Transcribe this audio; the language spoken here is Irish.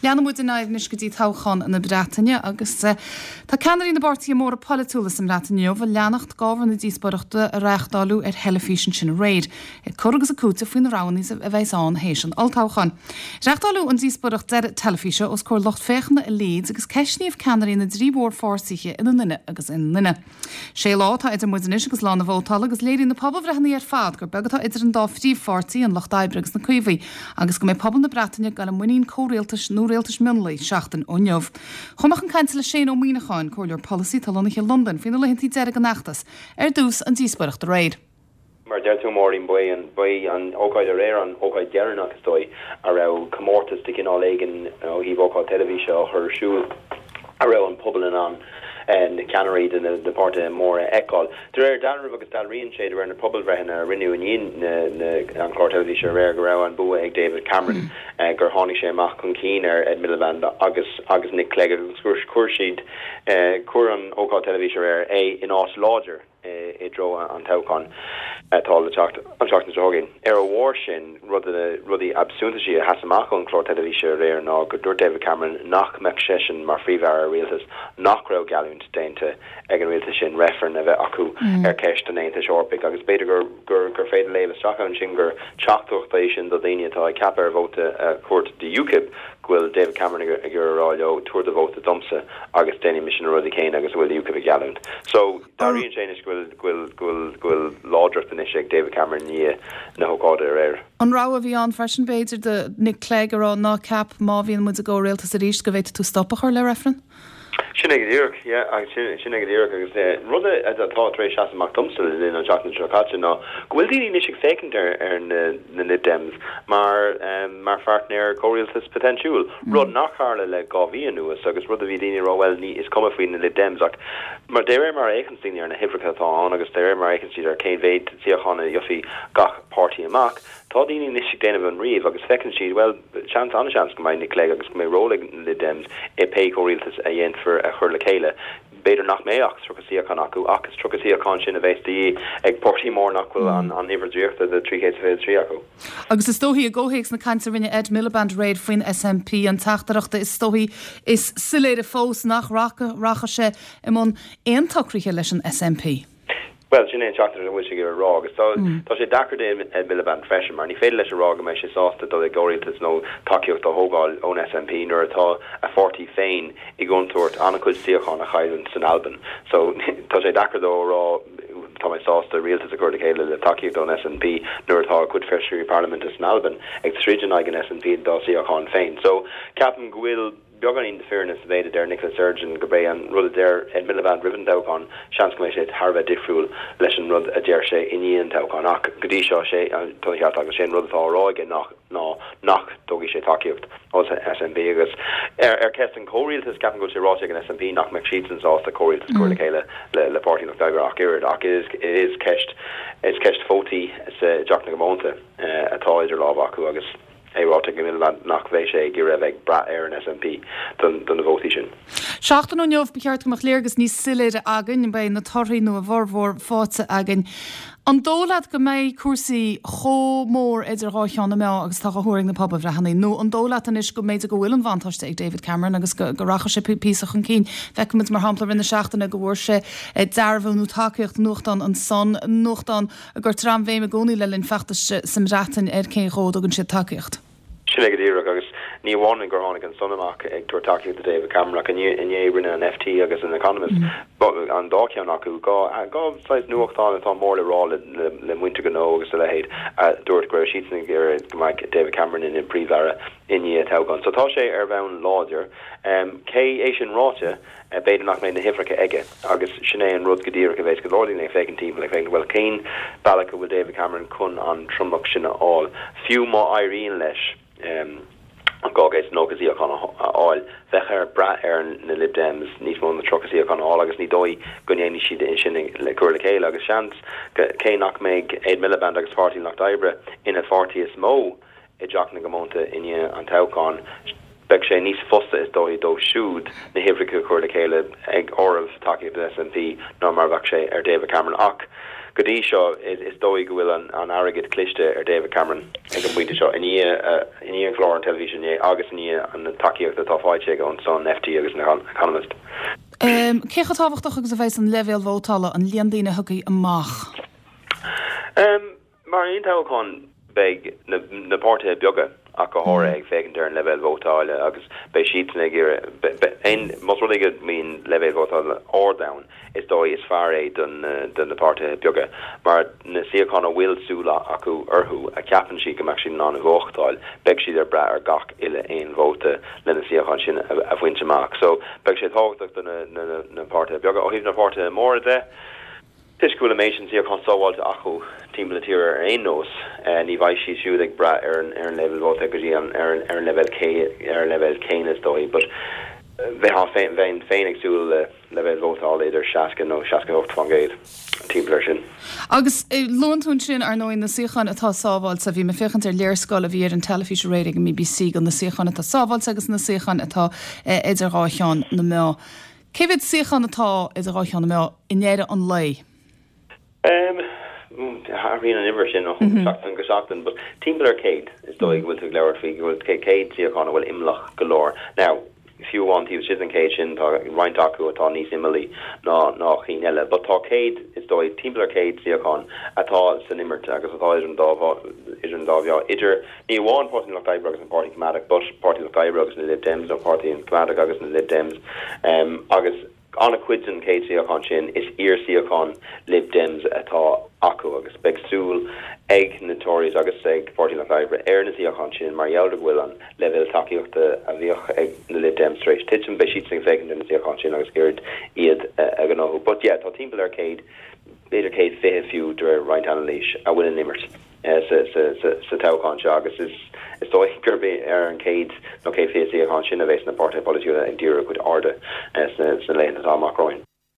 Leanann muid ar aghaidh anois go dtí toghchán na Breataine agus tá ceannairí na bpáirtithe móra polaitiúla sa mBreatain inniu ag leanacht d'ábhar na díospóireachta a reáchtáileadh ar theilifís ansin aréir, ag cur agus ag cúiteamh faoi na roghanna a bheas ann théis an olltoghcháin. Reáchtáileadh an díospóireacht deiridh teilifíse os comhair lucht féachana i Leeds agus ceistníodh ceannairí na dtrí mhórpháirtithe ina nduine agus ina nduine. Sé lá atá idir muid anois agus lá na vótála agus léiríonn na pobalbhreitheanna ar fad gur beag atá idir an dá phríomhpháirtí, an Lucht Oibre agus na Caomhaigh, agus go mbeidh pobal na Breataine ag dul i muinín comhrialtais nó rialtais mionlaigh seachtain ó inniu. Chuaigh mé chun cainte le Shane Ó Muíneacháin, comhairleoir polasaí atá lonnaithe i Londain, faoi na laethanta deiridh den fheachtas. Ar dtús, an díospóireacht aréir. Mar a deir tú, Máirín, ba é an, ba í an ócáid aréir an ócáid dheireanach, is dóigh, a raibh comórtas de chineál éigin ó thaobh ócáid teilifíse á chur ar siúl a raibh an pobal in ann na ceannairí de na páirtithe móra a fheiceáil. De réir dealraimh, agus dealraíonn sé de réir na pobalbhreitheanna a rinneadh i ndiaidh an chláir teilifíse aréir, go raibh an bua ag David Cameron, gur tháinig sé amach chun cinn ar Ed Miliband agus agus Nick Clegg agus chuir siad, chuir an ócáid teilifíse aréir é in áit láidir. i dtreo an toghcháin atá le teacht an tseachtain seo chugainn. Ar a bharr sin, rud de na rudaí ab suntasaí a sheas amach ón chlár teilifíse aréir ná go dúirt David Cameron nach mbeadh seisean mar Phríomh-Aire ar rialtas nach raibh geallúint déanta ag an rialtas sin reifreann a bheith acu ar cheist an Aontais Eorpaigh agus b'fhéidir gur gur féidir léamh isteach ansin gur teachtaireacht é sin do dhaoine atá ag ceapadh ar vóta a thabhairt do UKIP go bhfuil David Cameron ag iarraidh a rá leo tabhair do vóta domsa agus déanfaidh mise na rudaí céanna agus a bhfuil UKIP ag geallúint. So, dealraíonn sé anois go bhfuil, go bhfuil, go bhfuil, go bhfuil láidreacht anois ag David Cameron i ndiaidh na hócáide aréir. An rogha a bhí ann freisin, b'fhéidir, do Nick Clegg a rá ná ceap má bhíonn muid i gcomhrialtas arís go bhféadfaidh tú stop a chur le reifreann? Sin é go díreach, yeah, agus sin, sin é go díreach agus rud atá tar éis seasamh amach domsa le linn an tseachtain seo caite ná go bhfuil daoine anois ag féachaint ar, ar na, na Lib Dems mar, mar pháirtnéir comhrialtais poitéinsiúil, rud nach tharla le 2 mhí anuas agus rud a bhí daoine ag rá bhuel ní, is cuma faoi na Lib Dems ach mar, de réir mar a fhéachanns daoine ar na huimhreacha atá ann agus de réir mar a fhéachanns siad ar cén mhéid suíochán a gheobhaidh gach páirtí amach, tá daoine anois ag déanamh an ríomh agus feiceann siad bhuel, Seans, an-seans go mbeidh Nick Clegg agus go mbeidh ról ag na Lib Dems i pé comhrialtas a dhéanfar a chur le chéile. B'fhéidir nach mbeidh ach 30 suíochán acu, ach is 30 suíochán sin a bheas de dhíth ag páirtí mór nach bhfuil an uimhir draíochta de 323 acu. Agus is dóichí, i gcomhthéacs na cainte a rinne Ed Miliband aréir faoin SNP, an teachtaireacht is dóichí is soiléire fós nach rachaidh sé i mbun aon tsocraithe leis an SNP. Bhuel, sin é an teachtaireacht a bhfuil sé ag iarraidh a rá agus tá tá sé deacair d'Ed Miliband freisin mar ní féidir leis a rá go mbeidh sé sásta dul i gcomhrialtas nó tacaíocht a thógáil ón SNP nuair atá a pháirtí féin i gcontúirt an-chuid suíochán a chailliúint san Albain. So tá sé deacair dó a rá tá mé sásta rialtas a chur le chéile le tacaíocht ón SNP nuair atá a chuid feisirí parlaiminte san Albain ag troid in aghaidh an SNP dá suíocháin féin. So ceapaim go bhfuil Beagáinín de fírinne sa mhéid a deir Nicola Sturgeon gurb é an rud a deir Ed Miliband roimh an toghchán, seans go mbeidh sé thar a bheith difriúil leis an rud a deir sé i ndiaidh an toghcháin. Ach go dtí seo, sé, tá an ceart agat, sé an rud atá á rá aige ná ná nach dtógfaidh sé tacaíocht ón SNP. Agus ar cheist an chomhrialtais, ceapaim go bhfuil sé ráite ag an SNP nach mbeadh siadsan sásta comhrialtas a chur le chéile le Páirtí an Lucht Oibre ach oiread. Ach is is ceist is ceist vótaí sa dTeach na gComónta atá idir lámha acu agus. é ráite ag Miliband nach mbeidh sé ag iarraidh a bheith ag brath ar an SNP do na vótaí sin. Seachtain ó inniu, ba cheart go mbeadh léargas níos soiléire againn, beidh na torthaí nó a bhformhór faighte againn. An dóigh leat go mbeidh cúrsaí chomh mór idir dhá cheann na meá agus atá á thuar ag na pobalbhreitheanna nó an dóigh leat anois go mb'fhéidir go bhfuil an buntáiste ag David Cameron agus go rachaidh sé píosa chun cinn? Feicimid mar shampla i rith na seachtaine go bhfuair sé dearbhú nó tacaíocht nuachtán an Sun, nuachtán a gcuirtear an-bhéim i gcónaí le linn feachtais sa mBreatain ar cén dhó a dtugann siad tacaíocht. Sin é go díreach, agus ní amháin gur tháinig an Sun amach ag tabhairt tacaíocht do David Cameron ach inné rinne an FT agus an Economist, an dá cheann acu, dhá saghas nuachtán atá mór le rá le muintir gnó agus a leithéid, a dúirt go raibh siadsan ag iarraidh go mbeadh David Cameron ina Phríomh-Aire i ndiaidh an toghcháin. So tá sé ar bhonn láidir. Cé é sin ráite, B'fhéidir nach mbeidh na huimhreacha aige agus sin é an rud go díreach a bheas go leor daoine ag féachaint timpeall, ag féachaint, bhuel, cén bealach a bhfuil David Cameron chun an tromlach sin a fháil? Fiú má éiríonn leis an 290 suíochán a fháil, bheadh air brath ar na Lib Dems níos mó ná 30 suíochán a fháil agus ní dóigh go ndéanfaidh siad é sin le cur le chéile agus seans, cé nach mbeidh Ed Miliband agus Páirtí an Lucht Oibre ina pháirtí is mó i dTeach na gComónta i ndiaidh an toghcháin, beidh sé níos fusa is dóichí dóibh siúd na huimhreacha a chur le chéile ag áireamh tacaíocht an SNP ná mar a bheadh sé ar David Cameron. Ach. go dtí seo is dóigh go bhfuil an airgead cliste ar David Cameron ag an bpointe seo, i ndiaidh i ndiaidh an chlár an teilifíse inné agus i ndiaidh an tacaíocht atá faighte aige ón Sun, FT agus an Economist. Cé chomh tábhachtach agus a bheas an leibhéal vótála, an líon daoine a thiocfaidh amach? Mar aon toghchán, beidh na páirtithe beaga ach go háirithe ag féachaint ar an leibhéal vótála agus beidh siadsan ag iarraidh, más rud é go mbíonn leibhéal vótála ard ann, is dóigh is fearr é do na páirtithe beaga mar na suíocháin a bhfuil súil acu orthu a cheapann siad go mbeadh siad in ann a bhuachtáil, beidh siad ag brath ar gach uile aon vóta le na suíocháin sin a bhaint amach. So beidh sé tábhachtach do na páirtithe beaga. Ó thaobh na páirtithe móra de, Toisc go bhfuil an méid sin suíochán sábháilte acu timpeall na tíre ar aon nós, ní bheidh siad siúd ag brath ar an leibhéal vóta go dtí an ar an leibhéal ar an leibhéal céanna is dóigh. But bheinn bheinn féin ag súil le leibhéal vótála idir 60 nó 68%, timpeall ar sin. Agus luann tú ansin, ar ndóigh, na suíocháin atá sábháilte. Bhí mé ag féachaint ar léarscáil a bhí ar an teilifís aréir ag an mBBC de na suíocháin atá sábháilte agus na suíocháin atá idir dhá cheann na meá. Cé mhéad suíochán atá idir dhá cheann na meá i ndeireadh an lae? Athraíonn an uimhir sin ó sheachtain go seachtain, but timpeall ar 100 is dóigh go bhfuil tú ag labhairt faoi, go bhfuil 100 suíochán a bhfuil imeallach go leor. Now, fiú amháin taobh istigh den 100 sin, tá roinnt acu atá níos imeallaí ná ná cinn eile, but tá 100, is dóigh, timpeall ar 100 suíochán atá san imirt agus atá idir an dá idir an dá mheá, idir Ní amháin Páirtí an Lucht Oibre agus an Páirtí Coimeádach but Páirtí an Lucht Oibre agus na Lib Dems nó Páirtí an Choimeádach agus na Lib Dems agus an-chuid den 100 suíochán sin is iar-suíocháin Lib Dems atá acu agus beidh súil ag na Tories agus ag Páirtí an Lucht Oibre ar na suíocháin sin mar gheall ar go bhfuil an leibhéal tacaíochta a bhíodh ag na Lib Dems tar éis titim, beidh siadsan ag féachaint ar na suíocháin sin agus ag iarraidh iad a ghnóthú. But yeah, tá timpeall ar 100, b'fhéidir 120 fiú de réir roinnt anailís, a bhfuil in imirt. sa toghchán seo agus is dóigh gurb é ar an 100 nó 120 suíochán sin a bheas na páirtithe polaitiúla ag díriú a gcuid airde sna laethanta atá amach romhainn.